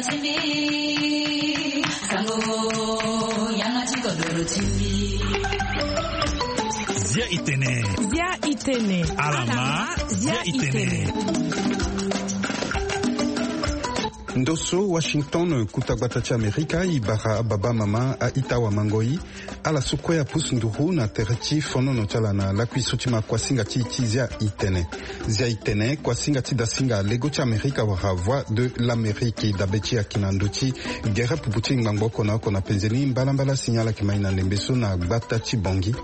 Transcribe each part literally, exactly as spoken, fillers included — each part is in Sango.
Zia itene. Zia itene. Alama. Zia itene. Ndoso Washington, kuta gbata ti Amerika, i bara ababa, amama, a-ita, awamangoi. Ala so kue apusu nduru na tere ti fonono ti ala na lakui so ti ma kuasinga ti, ti Zia itene. Zia itene, kuasinga ti dasinga lego ti Amerika wala Voix de l'Amérique. Dabe ti ayeke na ndö ti gere pupu ti ngbangbo oko na oko na penze ni mbalambala si ala yeke ma i na ndembe so na gbata ti Bangui.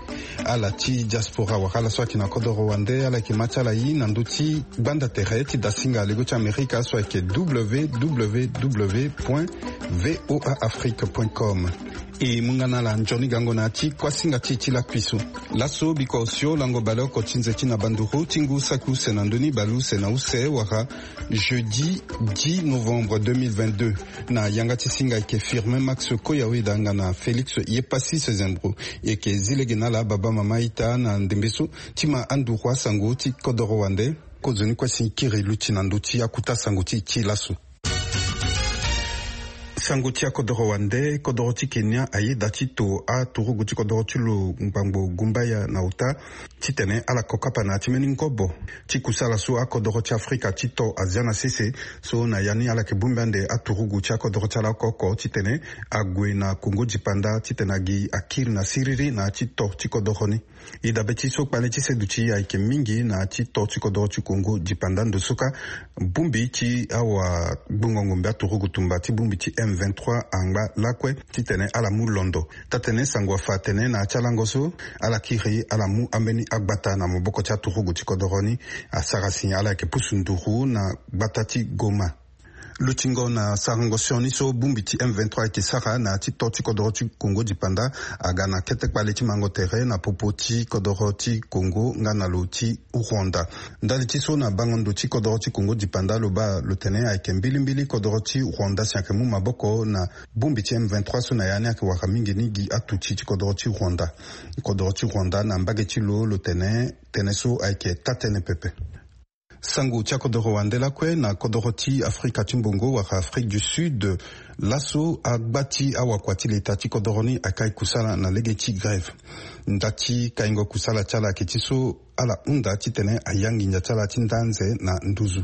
Ala ti diaspora wala ala so ayeke na kodoro wande, ala yeke ma ti ala i na ndö ti gbanda tere ti dasinga lego ti Amerika so ayeke www point voa afrique point com. E mu nga na ala nzoni gango na ya ti kuasinga ti e ti lakui so. Laso biko osio lango baleoko ti nze ti na banduru ti ngu saki use na ndö ni baleuse na use wala jeudi dix novembre deux mille vingt-deux. Na yanga ti singa ayeke Firmin Max Koyawe danga na Félix Yepassis Zembro. E yeke zi lege na ala baba, mama, ita na ndembe so ti ma anduru asango ti kodoro wande. Kozoni kue si kiri luti na ndö ti akuta sango ti, ti laso. Sango ti akodoro wande, kodoro ti Kenya ayeda ti to aturugu ti kodoro ti lo ngbangbo gumbaya na ota titene ala ko kapa na ya ti mbeni ngobo ti kusala so akodoro ti Afrika ti to azia na sese. So na ya ni ala yeke bongbi ande aturugu ti akodoro ti ala oko oko titene ague na Kongo dipanda titene agi akiri na siriri na ya ti to ti kodoro ni. E dabe ti so kpale ti seduti ayeke mingi na ya ti to ti kodoro ti Kongo dipanda ndo so ka bongbi ti awagbongo ngombe aturugu tumba ti bongbi ti M vingt-trois angba lakue titene ala mu londo. Taa-tënë sango afa atene na ya ti alango so ala kiri ala mu ambeni agbata na maboko ti aturugu ti kodoro ni. Asara si ala yeke pusu nduru na gbata ti Goma. Lutingo na sarango sioni so bongbi ti M vingt-trois ayeke sara na ya ti to ti kodoro ti Kongo dipanda aga na kete kpale ti mango tere na popo ti kodoro ti Kongo nga na lo ti Rwanda. Ndali ti so na bango ndo ti kodoro ti Kongo dipanda lo baa lo tene ayeke mbilimbili kodoro ti Rwanda si ayeke mu maboko na bongbi ti M vingt-trois so na ya ni ayeke wara mingi ni gi atuti ti kodoro ti Rwanda. Kodoro ti Rwanda na mbage ti lo lo tene tënë so ayeke taa-tënë pepe. Sango ti akodoro wande lakue na kodoro ti Afrika ti mbongo wala Afrique du Sud. Laso agba ti awakua ti leta ti kodoro ni akai kusala na lege ti grève. Nda ti kaingo kusala ti ala ayeke ti so ala hunda titene ayangi ndia ti ala ti ndanze na nduzu.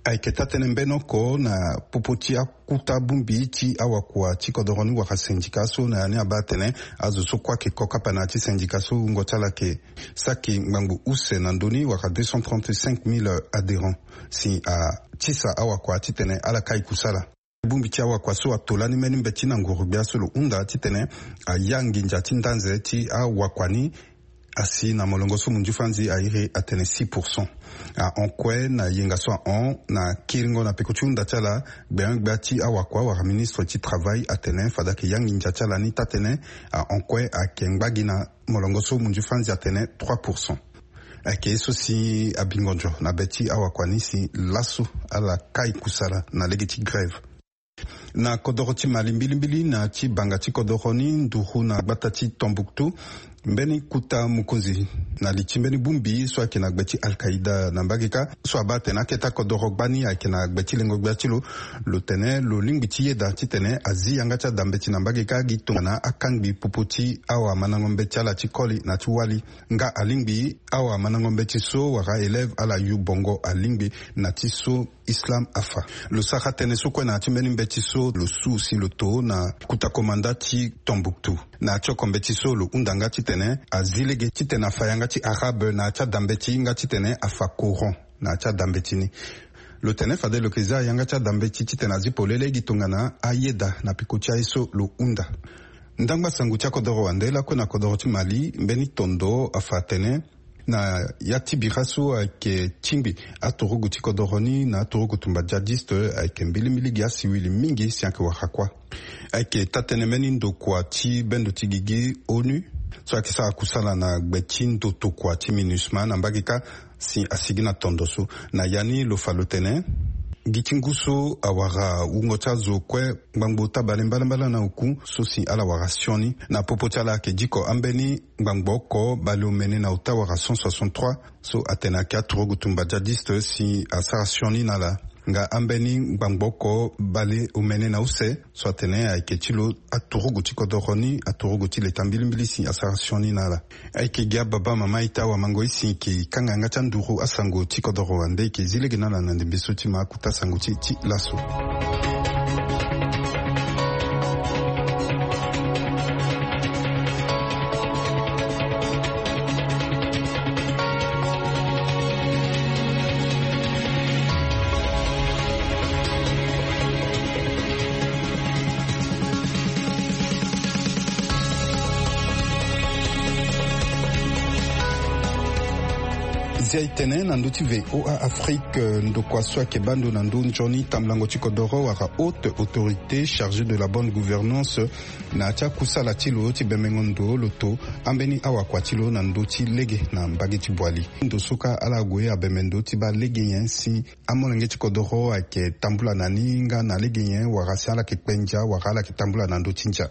Ayeke taa-tënë mbeni oko na popo ti akuta bongbi ti awakua ti kodoro ni wala syndicat so na ya ni abaa atene azo so kue ayeke ko kapa na ya ti syndicat so wungo ti ala ayeke saki ngbangbo use na ndö ni wala deux cent trente-cinq mille adhérents si atisa awakua titene ala kai kusala. Bongbi ti awakua so ato lani mbeni mbeti na nguru-gbia so lo hunda titene ayangi ndia ti ndanze ti awakua ni asi na molongo so munzu fanzi airi atene six pour cent. Ahon kue na yenga so ahon na kiringo na peko ti hunda ti ala, gbenyo-gbia ti awakua wala ministre ti travail atene fade ayeke yangi ndia ti ala ni taa-tënë. Ahon kue ayeke ngba gi na molongo so munzu fanzi atene trois pour cent. Ayeke ye so si abingo ndio na be ti awakua ni si laso ala kai kusala na lege ti grève. Na kodoro ti Mali mbilimbili na ya ti banga ti kodoro ni nduru na gbata ti Tombouctou, mbeni kota mokonzi na li ti mbeni bongbi so ayeke na gbe ti Al-Qaïda na mbage kâ so abaa atene aketa kodoro gbani ayeke na gbe ti lengo-gbia ti lo. Lo tene lo lingbi ti yeda titene azi yanga ti adambeti na mbage kâ gi tongana akangbi popo ti awamandango mbeti ala ti koli na ti wali nga alingbi awamandango mbeti so wala élève ala yu bongo alingbi na ti so Islam afa. Lo sara tënë so kue na ya ti mbeni mbeti so lo su si lo to na kota komanda ti Tombouctou. Na ya ti oko mbeti so lo hunda nga titene azi lege titene afa yanga ti arabe na ya ti adambeti nga titene afa Coran na ya ti adambeti ni. Lo tene fade lo yeke za yanga ti adambeti titene azi polele gi tongana ayeda na peko ti aye so lo hunda. Ndangba sango ti akodoro wande lakue na kodoro ti Mali mbeni tondo afa atene na ya ti bira so ayeke tingbi aturugu ti kodoro ni na aturugu tumba djihadiste ayeke mbilimbili gi asiwili mingi si ayeke wara kuâ. Ayeke taa-tënë mbeni ndokua ti bendo ti gigi ONU so ayeke sara kusala na gbe ti ndo tokua ti MINUSMA na mbage kâ si asigi na tondo so. Na ya ni lo fa lo tene gi ti ngu so awara wungo ti azo kue ngbangbo tabale mbalambala na oku so si ala wara sioni. Na popo ti ala ayeke diko ambeni ngbangbo oko baleomene na ota wala cent soixante-trois so atene ayeke aturugu tumba djihadiste si asara sioni na ala. nga ambeni ngbangbo oko bale omene na use so atene ayeke ti lo aturugu ti kodoro ni, aturugu ti leta mbilimbili si asara sioni na ala. Ayeke gi ababa mama ita wamango isi eke kanga yanga ti anduru asango ti kodoro wande eke zi lege na ala na ndembe so ti ma akuta sango ti ti laso. Zia itene na ndö ti voa afrique ndokua so ayeke bando na ndö nzoni tambulango ti kodoro wala haute autorité chargée de la bonne gouvernance na ya ti akusala ti lo ti bembengo ndo lo to ambeni awakua ti lo na ndö ti lege na mbage ti boili. Ndo so kâ ala gue abembe ndo ti baa lege nyen si amolenge ti kodoro ayeke tambula na ni nga na lege nyen wala si ala yeke kpe ndia wala ala yeke tambula na ndö ti ndia.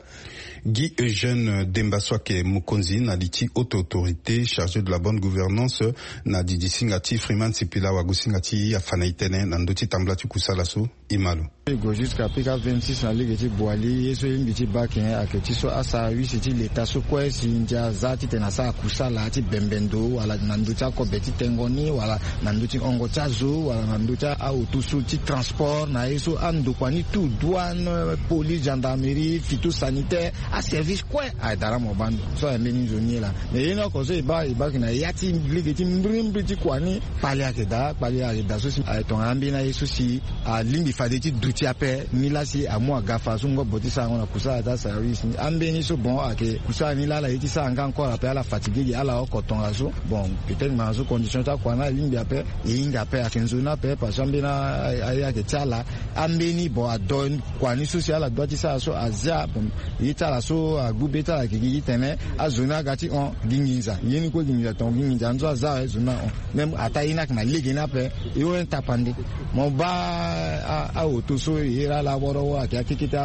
Guy eugène demba so ayeke mokonzi na li ti haute autorité chargée de la bonne gouvernance na didi singa ti freeman sipila wagosinga ti afa na itene na ndö ti tambula ti kusala so. Imalo. E go jusqu'à pika vingt-six na lege ti boili ye so e lingbi ti baa ake ti so asara wisi ti leta so kue si ndia aza titene asara kusala ti bembe ndo wala na ndö ti akobe ti tengo ni wala na ndö ti hongo ti azo wala na ndö ti aoto so ti transport na ye so andokua ni tout douane, police, gendarmerie, phytosanitaire, aservice kue ayedara mo bando so ayembeni nzoni ye laa. Mais ye ni oko so e baa e baa ake na ya ti lege ti mbrimbri ti kua ni kpali ayeke daa kpali ayeke daa so si aye tongana ambeni aye so si alingbi fade ti duti ape ni laa si amu aga fa so ngobo ti sarango na kusala ti asara wisi ni ambeni so bon ayeke kusala ni laa ala ye ti sara nga encore ape ala fatigue gi ala oko tongaso. Bon, peut-être ngbanga so condition ti akua ni alingbi ape e hinga ape ayeke nzoni ape parce que ambeni aye ayeke ti ala. Ambeni bon ado kua ni so si ala dua ti sara so azia bon ye ti ala so agbu be ti ala ayeke gi titene azo ni aga ti hon gi nginza ye ni kue gi nginza tonga gi nginza ni so aza awe zo ni ahon. Même ataa ye ni ayeke na lege ni ape. E hon tapande mo baa aoto so e iri ala woro woro ayeke akeke ti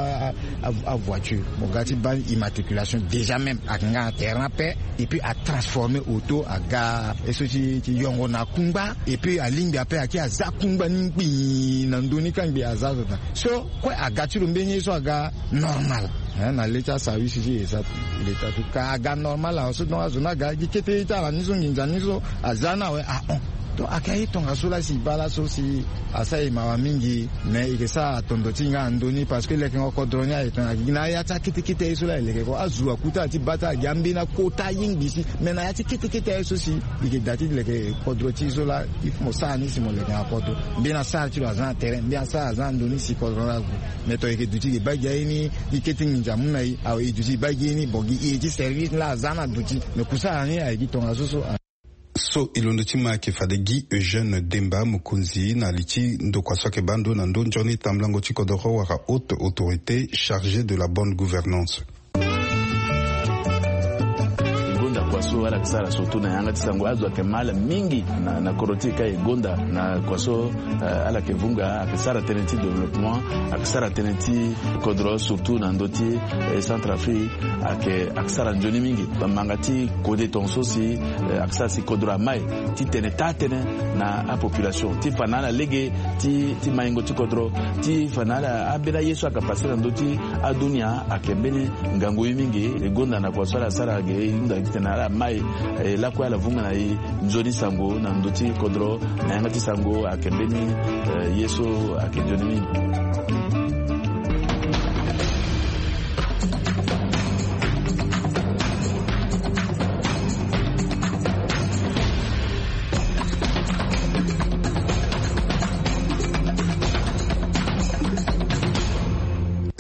avoiture mo ga ti baa immatriculation déjà même ayeke nga na terrain ape. Et puis atransforme oto aga ye so ti yongo na kungba. Et puis alingbi ape ayeke aza kungba ni ngbii na ndö ni kangbi aza zo daa so kue aga ti lo mbeni ye so aga normal. Na le ti asawisi ti esa leta tu ka aga normal awe so donc azo ni aga gi kete ye ti ala ni so nginza ni so aza ni awe ahon. Donc ayeke aye tongaso laa si e baa laso si asara e mawa mingi. Mais e yeke sara atondo ti e nga na ndö ni parce que lekengo kodro ni aye tongana gi na ya ti akete kete aye so laa e leke ko azo aku ti ala ti baa ti ala gi ambeni akota aye ngbii si. Mais na ya ti kete kete aye so si e yeke daa ti leke kodro ti e so laa il faut mo sara ni si mo leke na kodro. Mbeni asara ti lo aza na terrain mbeni asara aza na ndö ni si kodro ni ague. Mais to e yeke duti e yeke baa gi aye ni gi kete nginza amu na e awe e duti e baa gi ye ni bon gi e ti service ni laa aza na duti. Mais kusala ni aye gi tongaso so. So e londo ti ma ayeke fade gi eugène demba mokonzi na li ti ndokua so ayeke baa ndo na ndö nzoni tambulango ti kodoro wala haute autorité chargée de la bonne gouvernance. E gonda kua so ala yeke sara surtout na yanga ti sango azo ayeke ma ala mingi na kodro ti e ka e gonda na kua so ala yeke vunga ayeke sara tënë ti développement ayeke sara tënë ti kodro surtout na ndö ti centre afrique. Ayeke ayeke sara nzoni mingi bamanga ti kode tonga so si ayeke sara si kodro ama e ti tene taa tënë na apopulation ti fa na ala lege ti maingo ti kodro ti fa na ala ambeni aye so ayeke pase na ndö ti adunia ayeke mbeni ngangu ye mingi. E gonda na kua so ala sara ge e hunda gi tene ala ma e lakue ala vunga na e nzoni sango na ndö ti kodro na yanga ti sango ayeke mbeni ye so ayeke nzoni mingi.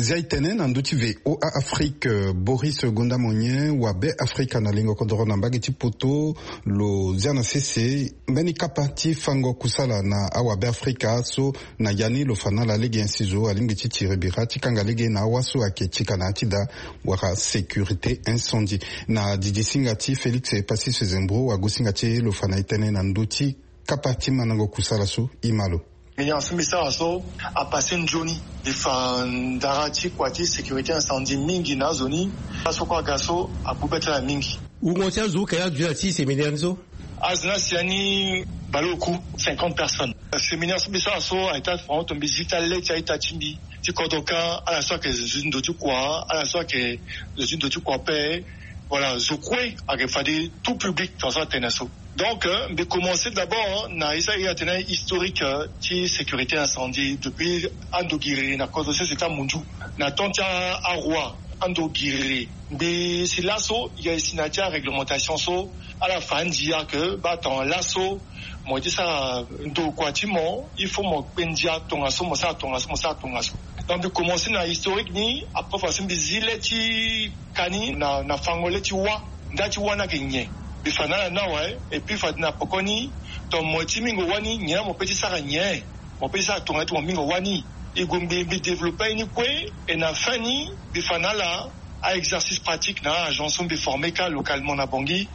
Zia e tene na ndö ti voa afrique boris gonda monyen wabe afrika na lingo kodoro na mbage ti poto lo zia na sese mbeni kapa ti fango kusala na awabe afrika so na ya ni lo fa na ala lege nyen si zo alingbi ti tiri bira ti kanga lege na awa so ayeke ti ka na ya ti daa wala sécurité incendie. Na didi singa ti félix epassis zembro wagosinga ti e lo fa na e tënë na ndö ti kapa ti mandango kusala so. E ma lo. Mbi nyen so mbi sara so apase nzoni e fa ndara ti kua ti sécurité incendie mingi na azo ni. Aso kue aga so agbu be ti ala mingi. Wungo ti azo uka ya dunia ti séminaire ni so. Azo ni asi ya ni Baleoku, cinquante personnes. Séminaire so mbi sara so ayeke ti afa tonga mbi zi ti ale ti a-ita ti mbi ti kodro kâ, ala so ayeke zo ti ndo ti kua, ala so ayeke zo ti ndo ti kua ape. Voilà, zo kue ayeke fade tout public tongaso atene so. Donc mbi commencer d'abord na ye so aye atene historique ti sécurité incendie depuis ando giriri na kodro sese ti amunzu, na temps ti aroi ando giriri. Mbi si laso ye si na ya ti aréglementation so ala fa andia ke baa tongana laso mo ye ti sara ndokua ti mo il faut mo kpe ndia tongaso, mo sara tongaso, mo sara tongaso. Donc mbi commencer na historique ni, après fa so mbi zi le ti ka ni na na fango le ti wâ. Nda ti wâ ni ayeke nyen? Mbi fa na ala ni awe. Et puis fade na poko ni, tongana mo ye ti mingo wâ ni nyen la mo pe ti sara nyen? Mo pe ti sara tongana ti mo mingo wâ ni. E gue mbi mbi développer aye ni kue. Et na fin ni mbi fa na ala a-exercice pratique na a-agent so mbi former kâ localement na Bangui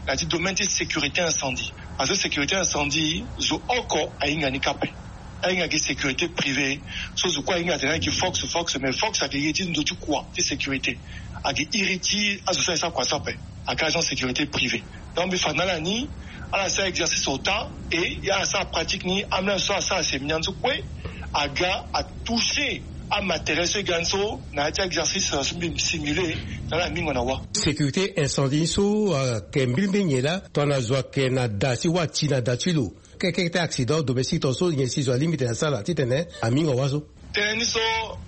na ya ti domaine ti sécurité incendie. Parce que sécurité incendie zo oko ahinga ni kâ ape. Ahinga gi sécurité privée. So zo kue ahinga atene ayeke fox fox, mais fox ayeke ye ti ndo ti kua ti sécurité. Ayeke iri ti azo so aye sara kua so ape. Ayeke agent sécurité privée. Donc mbi fa na ala ni ala sara exercice ota. Et ala sara pratique ni, ambeni azo so asara séminaire ni so kue aga atoucher amatériel so e ga ni so na ya ti exercice so mbi simule na ala mingo na wâ. Sécurité incendie ni so ayeke mbilimbili nyen laa? Tongana zo ayeke na da ti wâ, ati na da ti lo, kekeke ti accident domestique tongaso, nyen si zo alingbi tene asara titene amingo wâ so? Tënë ni so,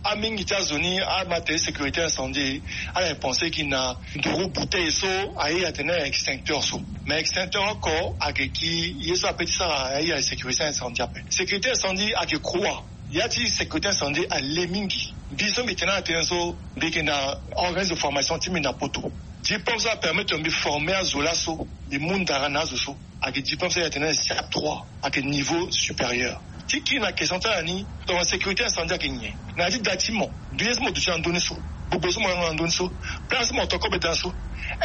amingi ti azo ni amatériel sécurité incendie ala ye pense gi na nduru bouteille so aye atene extincteur so. Mais extincteur oko ayeke gi ye so ape ti sara aye sécurité incendie ape. Sécurité incendie ayeke croix. Ya ti sécurité incendie ale mingi. Mbi so mbi tene ala tënë so, mbi yeke na organisme de formation ti mbi na poto. Diplôme so apermettre mbi former azo laso, mbi mu ndara na azo so. Ayeke diplôme so aye atene siap trois, ayeke niveau supérieur. Ti kiri na question ti ala ni, tongana sécurité incendie ayeke nyen? Na ya ti da ti mo, ye so mo duti na ndö ni so, gbogbo so mo yanga na ndö ni so, place so mo to kobe da so,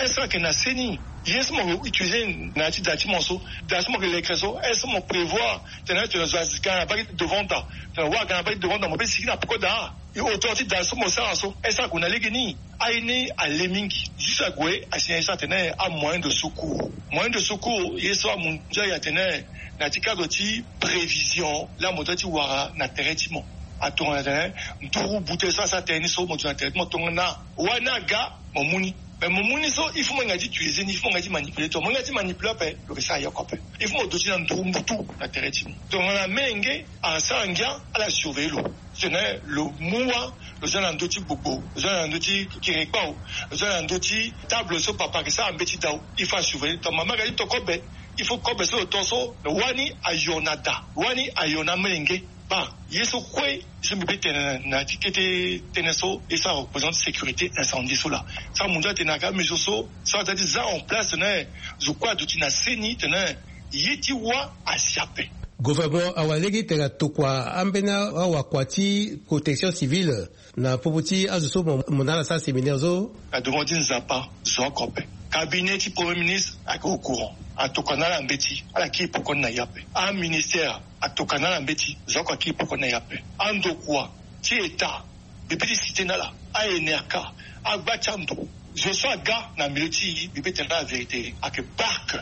est-ce que ayeke na seni? Ye so mo utiliser na ya ti da ti mo so, da so mo yeke lekre so, est-ce que mo prévoir tene tene zo aga na baa ti devant da, tene wâ aga na baa ti devant da, mo pe sigi na peko da? E hauteur ti da so mo sara so, est-ce que ague na lege ni? Aye ni ale mingi. Juste ague asi na ye so atene amoyen de secours. Moyen de secours, ye so amu ndia ye atene na ya ti cadre ti prévision laa mo doit ti wara na tere ti mo. Atongana tene nduru bute so asara tere ni so mo duti na tere ti mo, tongana wâ ni aga, mo mu ni. Mais mo mu ni so, il faut mo hinga ti utiliser ni, il faut mo hinga ti manipuler. Tongana mo hinga ti manipuler ape, lo yeke sara yo oko ape. Il faut mo duti na nduru mbutu na tere ti mo. Tongana menge asara ngia, ala surveiller lo. Titene lo mu wâ, lo zia na ndö ti gbogbo, lo zia na ndö ti kiri kpao, lo zia na ndö ti table so papa ayeke sara mbeti dau. Il faut asurveiller. Tongana mama aga ti to kobe, il faut kobe so lo to so, lo wâ ni ayo na da, lo wâ ni ayo na amolenge. Baa ye so kue so mbi pe tene na ya ti kete tënë so, ye so areprésente sécurité incendie so laa. So amu ndia atene na ka mesure so, so aza ti za en place tene zo kue aduti na seni tene ye ti wâ asi ape. Gouvernement awara lege tene atokua ambeni awakua ti protection civile na popo ti azo so mo, mo na ala sara séminaire so. Na demande ti Nzapa, zo oko ape. Cabinet ti Premier ministre ayeke au courant. Atokua na ala mbeti, ala kiri poko ni na ya ape. Aministère atokua na ala mbeti, zo oko akiri poko ni na ya ape. Andokua ti État, mbi pe ti citer na ala, a-Enerca, agba ti ando, zo so aga na milieu ti e, mbi pe tene na ala vérité, ayeke parc,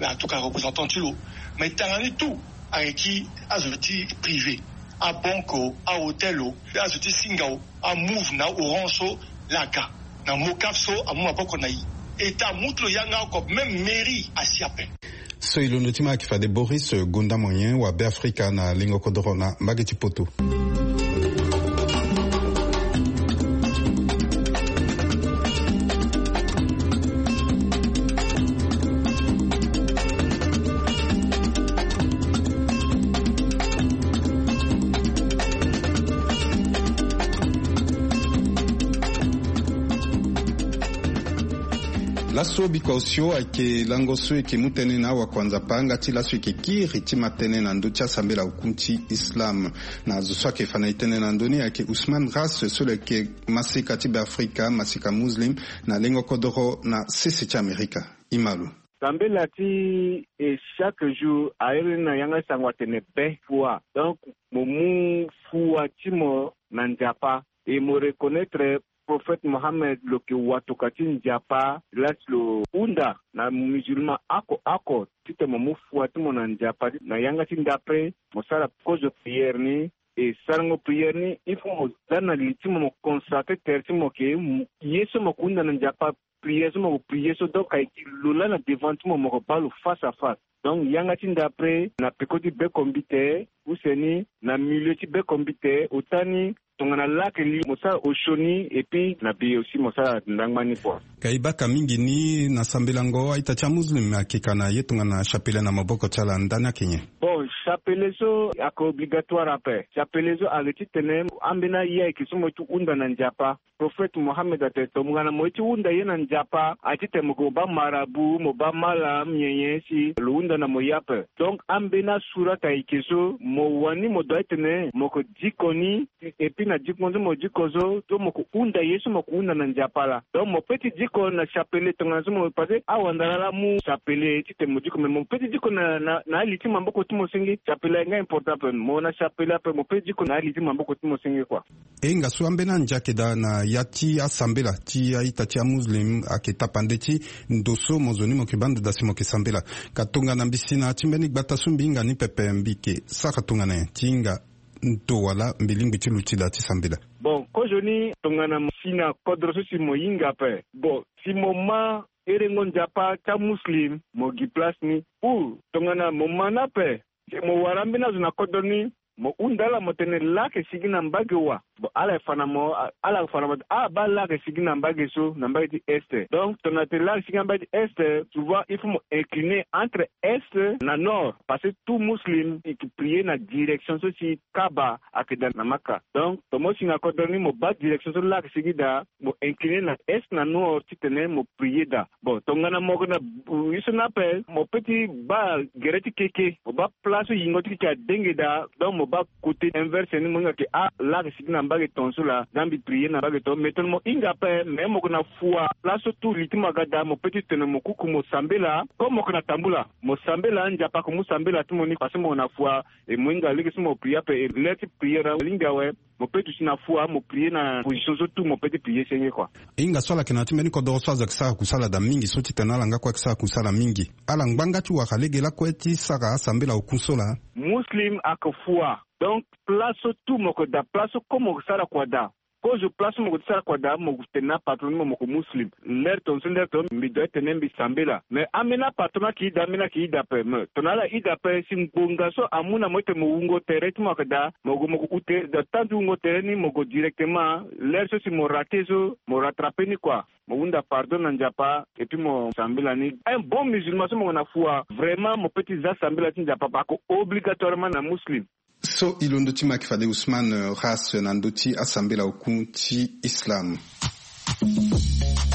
atokua représentant ti lo. Mais tanga ni tout ayeke gi azo ti privé, abanque o, ahôtel o, azo ti Singa o, aMoov na Orange so, laa aga na Mocaf so amu maboko na e. État amu ti lo yanga oko, même mairie asi ape. So e londo ti ma ayeke fade Boris Gonda Moyen wa Beafrika na lengo kodoro na mbage ti poto. Laso biko osio ayeke lango so e yeke mu tënë na awakua Nzapa nga ti laso e yeke kiri ti ma tënë na ndö ti asambela oku ti Islam. Na zo so ayeke fa na e tënë na ndö ni ayeke Ousmane Ras so lo yeke maseka ti Beafrika, maseka muslim na lengo kodoro na sese ti Amerika. E ma lo. Sambela ti e chaque jour a iri ni na yanga sango atene be fua. Donc mo mu fua ti mo na Nzapa et mo reconnaître Prophète Mohammed lo yeke watoka ti Nzapa, la si lo hunda na musulman oko oko titene mo mu fua ti mo na Nzapa. Na yanga ti ndapre mo sara kozo prière ni. E sarango prière ni, il faut mo za na li ti mo, mo consacrer tere ti mo ke, ye so mo yeke hunda na Nzapa, prière so mo yeke prier so, donc ayeke lo laa na devant ti mo, mo yeke baa lo face à face. Donc yanga ti ndapre na peko ti bekombite, use ni na milieu ti bekombite, ota ni tongana laa ayeke li, mo sara osioni, et puis na be aussi mo sara ndangba ni kua. Ka e baka mingi ni na sambelango a-ita ti amuslim ayeke ka na ye tongana chapelet na maboko ti ala, ndani ayeke nyen? Bon, chapelet so ayeke obligatoire ape. Chapelet so ayeke titene ambeni aye ayeke so mo ye ti hunda na Nzapa. Prophète Mohammed atene tongana mo ye ti hunda ye na Nzapa, aye titene mo yeke mo baa marabout, mo baa malam, nyen nyen si lo hunda na mo ye ape. Donc ambeni asurat ayeke so mo wani, mo doit titene mo yeke diko ni, et puis na diko so mo diko so, so mo yeke hunda ye so mo yeke hunda na Nzapa laa. Donc mo peut ti diko na chapelet tongana so mo, parce que awandara laa amu chapelet titene mo diko, mais mo peut ti diko na, na, na ali ti maboko ti mo senge. Chapelet ayeke nga important ape, mo na chapelet ape mo peut ti diko na ali ti maboko ti mo senge kua. E hinga so ambeni andia ayeke daa na ya ti asambela ti a-ita ti amuslim ayeke tapande ti ndo so mo zo ni mo yeke baa ndo daa si mo yeke sambela. Ka tongana mbi si na ya ti mbeni gbata so mbi hinga ni pepe, mbi yeke sara tongana nyen ti hinga ndo wala mbi lingbi ti luti daa ti sambela? Bon, kozoni tongana mo si na kodro so si mo hinga ape, bon, si mo ma herengo Nzapa ti amuslim, mo gi place ni. Ou tongana mo ma ni ape, si mo wara ambeni azo na kodro ni, mo hunda ala mo tene laa ayeke sigi na mbage wa. Bon, ala yeke fa na mo, ala yeke fa na mo, ah, baa laa ayeke sigi na mbage so, na mbage ti est. Donc tongana tene laa ayeke sigi na mbage ti est, souvent il faut mo incliner entre est na nord, parce que tout muslim il yeke prier na direction so si Kaaba ayeke daa na Maka. Donc tongana mo si na kodro ni mo baa direction so laa ayeke sigi daa, mo incliner na est na nord titene mo prier daa. Bon, tongana mo yeke na, euh, ye so ni ape, mo peut ti baa gere ti keke, mo baa place so yingo ti keke adenge daa, donc mo baa côté inverse ni, mo hinga ke, ah, laa ayeke sigi na mbage tongaso laa, za mbi prier na mbage tongaso. Mais tongana mo hinga ape, mais mo yeke na fua, place so tout li ti mo aga daa, mo peut ti tene mo kuku mo sambela. Comme mo yeke na tambula, mo sambela, Nzapa ayeke mu sambela ti mo ni, parce que mo yeke na fua. E mo hinga lege so mo prier ape, e l'heure ti prier alingbi awe. Mo peut ti si na fua, mo prier na position so tout mo peut ti prier senge kua. E hinga so ala yeke na ya ti mbeni kodoro so azo ayeke sara kusala daa mingi so titene ala nga kue ayeke sara kusala mingi. Ala ngbanga ti wara lege lakue ti sara asambela oku so laa. Muslim ayeke fua. Donc place so tout mo yeke daa, place so comme mo yeke sara kua daa. Kozo place so mo yeke ti sara kua daa, mo tene na apatron ni mo, mo yeke muslim. L'heure tongaso, l'heure tongaso mbi doit tene mbi sambela. Mais ambeni apatron ni ayeke ida, ambeni ayeke ida ape. Mais tongana ala ida ape, si ngbonga so amu na mo titene mo wungo tere ti mo ayeke daa, mo gue mo gue ute daa, temps ti wungo tere ni mo gue directement. L'heure so si mo rater so, mo rattraper ni kua. Mo hunda pardon na Nzapa, et puis mo sambela ni. Un bon musulman so mo yeke na fua, vraiment mo peut ti za sambela ti Nzapa, parce que obligatoirement na muslim. So e londo ti maki fade Ousmane, euh, Ras na ndö ti asambela oku ti Islam.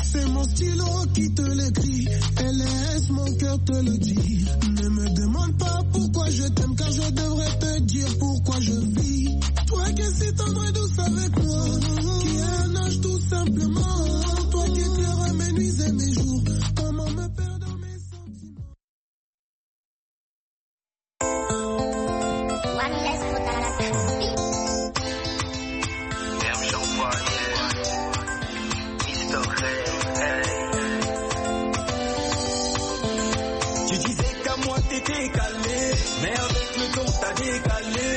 C'est mon stylo qui te l'écrit et laisse mon cœur te le dire. Ne me demande pas pourquoi je t'aime, car je devrais te dire pourquoi je vis. Toi qui es si tendre et douce avec moi, qui a un âge tout simplement. Toi qui éclaires mes nuits et mes jours, comment me perdre dans mes sentiments. Tu disais qu'à moi t'étais calé, mais avec le temps t'as décalé.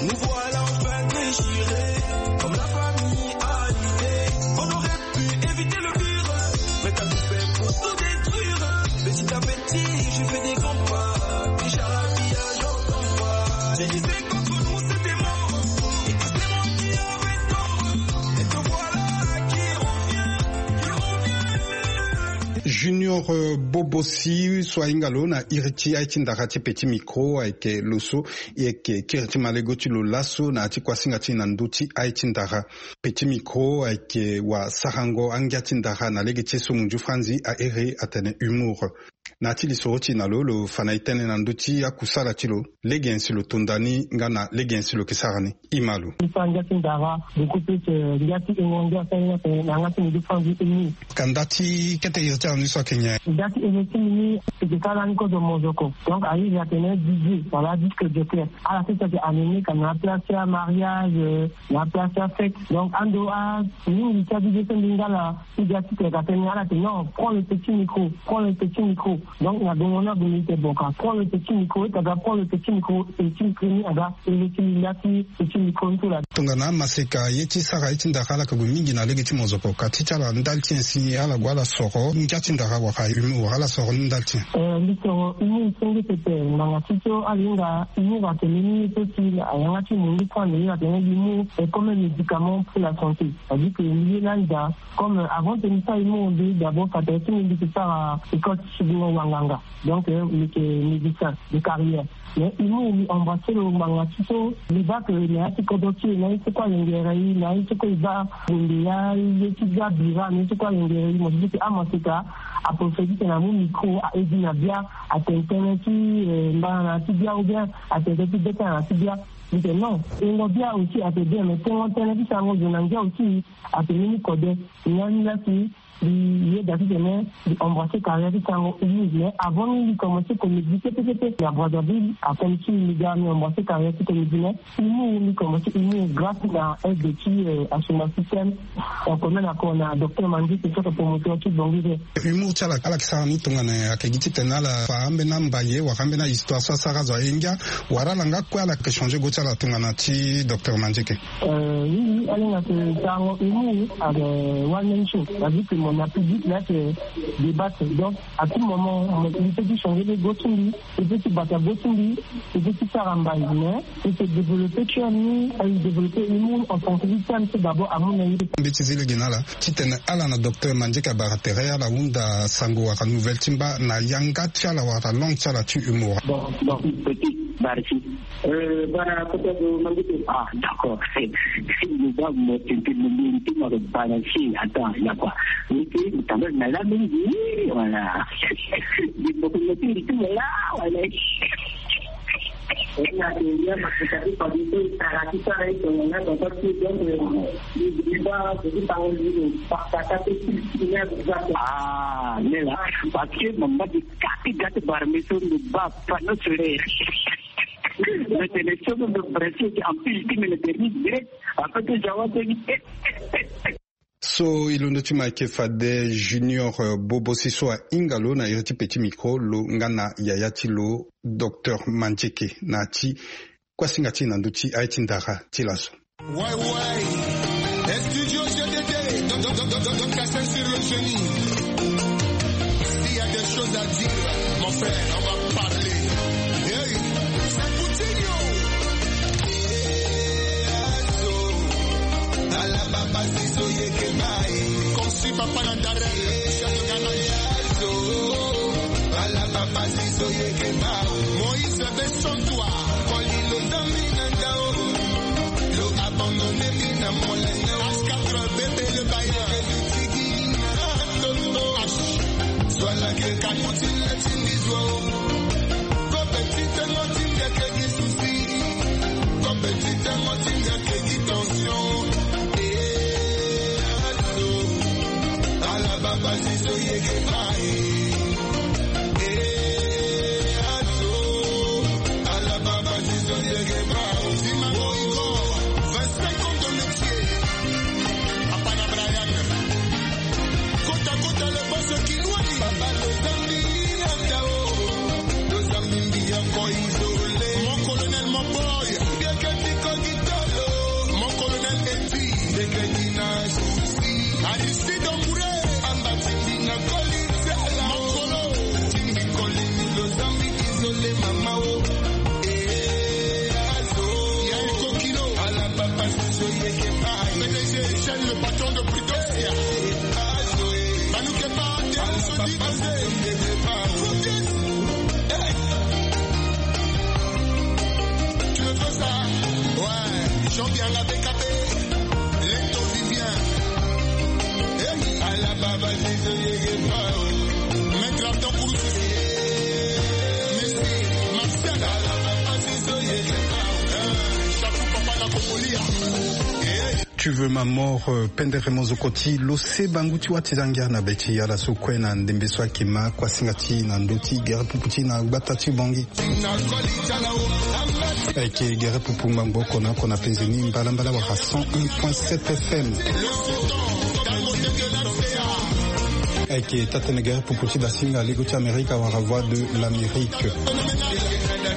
Nous voilà enfin déchirés, comme la famille a l'idée. On aurait pu éviter le pire, mais t'as tout fait pour tout détruire. Mais si t'avais dit, je fais des grands pas, déjà la vie a j'entends pas. Tu disais qu'entre nous c'était mort, et que c'est moi qui avais tort. Et te voilà qui revient, qui revient. Junior, euh, Bobosi so ahinga lo na iri ti aye ti ndara ti Petit Micro ayeke lo so e yeke kiri ti malego ti lo laso na ya ti kuasinga ti e na ndö ti aye ti ndara. Petit Micro ayeke wasarango angia ti ndara na lege ti e so munzu franzi a iri atene humour. Na ya ti lisoro ti e na lo, lo fa na e tënë na ndö ti akusala ti lo, lege nyen si lo tonda ni nga na lege nyen si lo yeke sara ni. Ima lo. Mbi sara ngia ti ndara, beaucoup plus, eh, ngia ti ingo ngia ti aye na yanga ti mbi ti fa mbi eni. Ka nda ti kete iri ti ala ni so ayeke nyen? Nda ti iri ti mbi ni, e yeke sara lani kozo mozoko. Donc, a iri atene D J, wala disque jockey. Ala sese ayeke animé ka na place ti amariage, eh, na place ti afête. Donc, ando a mingi ti a D J so mbi nga na Ti ga ti tene ka tene ala tene non, prends le petit micro, prends le petit micro. Donc na gongo ni ague mbi tene bon ka prends le petit micro, e ta ga prends le petit micro, e ti micro ni aga e le ti mbi nda ti petit micro ni so la. Tongana amaseka ye ti sara ye ti ndara ala yeke gue mingi na lege ti mozoko ka ti ti ala ndali ti nyen si ala gue ala soro ngia ti ndara wala humour wala ala soro ni ndali ti nyen? Eh, mbi soro humour senge pepe ngbanga ti so ala hinga humour atene ni ye so si ayanga ti mundu so ande ye atene humour est comme un médicament pour la santé. C'est-à-dire que mbi ye lani daa. Comme, euh, avant tene mbi sara humour, mbi d'abord fa tere ti mbi mbi yeke sara école ti subingo wanganga. Donc, euh, mbi yeke médecin de carrière. Mais humour mbi embrasser lo ngbanga ti so mbi baa que na ya ti kodro ti e na ye ti kue alengere e, na ye ti kue e baa bonde ya ye ti bia bira na ye ti kue alengere e. Mo ti di que amaseka apréféré ti tene amu micro a edi na bia, atene tënë ti, euh, mbana na ya ti bia ou bien atene tënë ti be tënë na ya ti bia. Mbi tene non, tengo bia aussi atene bien, mais tengo tënë ti sango zo na ngia aussi atene ni kode. Ngia ni la si mbi yeda titene mbi embrasser carrière ti sango humour. Mais avant ni mbi commencer comédie kete kete na Brazzaville, après mbi si mbi ga mbi embrasser carrière ti comédie, mais humour mbi commencer humour grâce na aide ti, euh, Assoumani Système, euh, comme na ko na docteur Mandieke so ayeke promoteur ti Bongi. Humour ti ala, ala yeke sara ni tongana nyen? Ayeke gi titene ala fa ambeni ambaye wala ambeni ahistoire so asara azo aye ngia, wala ala nga kue ala yeke changer go ti ala tongana ti docteur Mandieke? Euh, oui, oui, ala hinga yeke sarango humour, euh, one man show. C'est-à-dire que mo na public la yeke débattre. Donc, à tout moment, mo, il peut ti changer le go ti mbi, il peut ti bata go ti mbi, il peut ti sara mbai, mais il peut développer ti ami, il développer humour en tant que thème, c'est d'abord à mon avis. Mbi ti zi lege na ala titene ala na docteur Mandieke abara tere ala hunda sango wala nouvelle ti mba na yanga ti ala wala langue ti ala ti humour. Bon, bon, petit, barisi. Euh, bara kota zo mangi te. Ah, d'accord. Lo baa mo tene tene mo mérité mo lo baa na si. Attends, il y a quoi? Mérité mo tamba na la mingi. Voilà. Mo ko mérité mo la. Voilà. Ah, lela. Parce que mo mba ti kati gâteau bara me so lo baa panneau solaire. Mais c'est le seul de principe en plus qui me le permet direct. Après que j'avance. So e londo ti ma ayeke fade Junior, euh, Bobo si so ahinga lo na iri ti petit micro, lo nga na yaya ti lo docteur Mandieke na ya ti kuasinga ti e na ndö ti aye ti ndara ti laso. Ouais, ouais. Studio G D D, donc, donc, donc, donc, donc, casser sur le génie. S'il y a des choses à dire, mon frère, on va parler. Hey, c'est Coutinho. Conçu par Panandare, chef de Ghana. Moïse Bessontois. Lo abandonné mi na molenge. H quatre bébé le bailleur. Tigi na toto H. Zwa la ke kakuti la tindi zwa o. Ko petit ngo tindi ke gi souci. Ko petit ngo tindi ke gi tension. Eh, ato. Ala baba zizo yeke bai. Eh, ato. Ala baba zizo yeke bai. Vingt-cinq ans de métier. Apana Brian. Kota, kota, le boss Kilwani. Papa, lo zambi, ata o. Lo zambi, mbi ya ko isolé. Mon colonel, mon boy. Biakati ko gitalo. Mon colonel Eti. Biakati na souci. Aristide Ombouré. Amba timbi na koli. Mon colo. Timbi koli, lo zambi isolé, mama o. Eh, azo. Yayi Kokilo. Ala papa, so yeke bai. P D G Eugène, le patron de Prudence. Manu Kepa, Théo Sodi, José. Hey. Tu me fais ça? Ouais. Jean-Pierre la B K B. Leto Vivien. Hey. Ala baba, Maître Abdon Kouroussou. Tu veux ma mort, euh, pendere mozoko ti lo se bangu ti wâ ti zangia na be ti ala so kue na ndembe so ayeke ma kuasinga ti na ndö ti gere pupu ti na gbata ti Bangui. Ayeke gere pupu ngbangbo oko na oko na penze ni mbalambala wala cent un point sept F M. Ayeke taa-tënë gere pupu ti dasinga lego ti Amerika wala Voix de l'Amérique.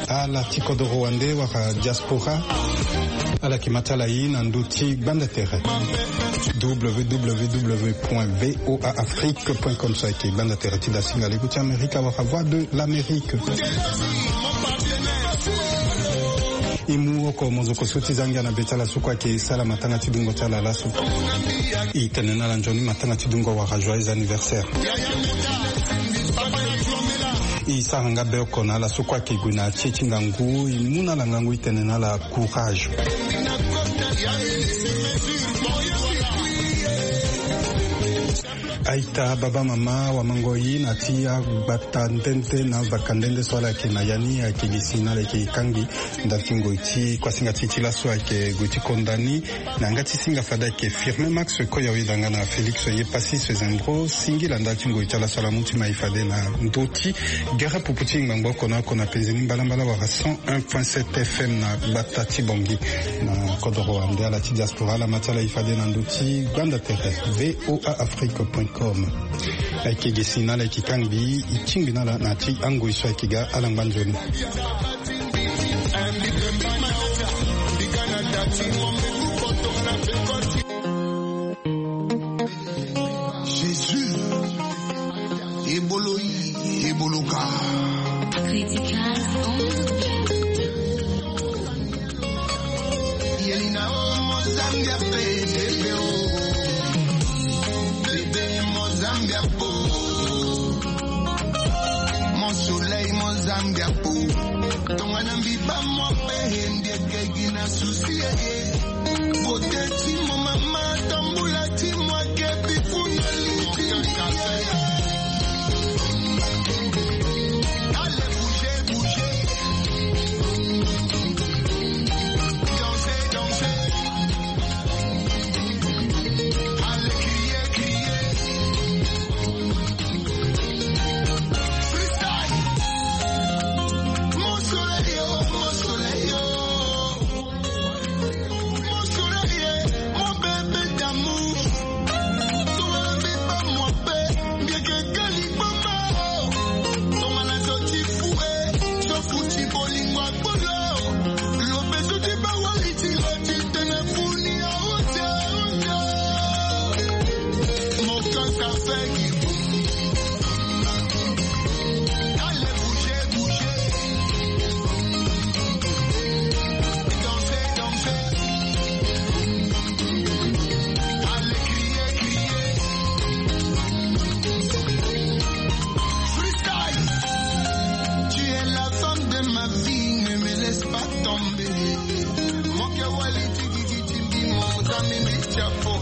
Ala ti kodoro wande wala diaspora. Ala yeke ma ti ala ye na ndö ti gbanda tere. W W W point V O A Afrique point com so ayeke gbanda tere ti dasinga lego ti Amerika wala Voix de l'Amérique. E mu oko mozoko so ti zangia na be ti ala so kue ayeke sara matanga ti dungo ti ala laso. E tene na ala nzoni matanga ti dungo wala joyeux anniversaire. E sara nga be oko na ala so kue ayeke gue na tie ti ngangu, e mu na ala ngangu, e tene na ala courage. Aita baba mama wamango ye na ti agbata nde nde na vaka nde nde so ala yeke na ya ni, ayeke gi si na ala yeke kangbi ndali ti ngoi ti kuasinga ti e ti laso ayeke gue ti konda ni. Na yanga ti singa fade ayeke Firmin Max Koyawe, danga na Félix Yepassis Zembro, singila ndali ti ngoi ti ala so ala mu ti ma e fade na ndö ti gere pupu ti ngbangbo oko na oko na penze ni mbalambala wala cent un point sept F M na gbata ti Bangui. Na kodoro wande ala ti diaspora ala ma ti ala e fade na ndö ti gbanda tere V O A Afrique point com. Ayeke gi si na ala yeke kangbi, e tingbi na ala na ya ti angoi so ayeke ga ala ngba nzoni. Jésus, ebolo yi, ebolo ka. Critical. Yelina o Mozambique, bébé o. Bébé Mozambique, oh. Mon soleil Mozambique, oh. Tongana mbi bâ mo pe, mbi yeke gi na souci, eh, eh. Beauté ti mo mama, tambula ti mo ake, bifuna li ti mbi. Allez, bougez, bougez. Dansez, dansez. Allez, criez, criez. Freestyle. Mon soleil, oh, mon soleil, oh. Mon soleil, eh, mon bébé d'amour. Tongana mbi bâ mo pe, mbi yeke ga liboma, oh. Tongana zo ti fou, eh, zo fou ti bolingo akpolo. Lobe zo ti bawali ti lo ti tene funi, oh, oh, oh. Mon cœur ça fait du bruit. Allez, bougez, bougez. Dansez, dansez. Allez, criez, criez. Freestyle. Tu es la femme de ma vie, ne me laisse pas tomber. Mon cœur, wali, tiki, tiki, tiki, mon ami, mi chapeau.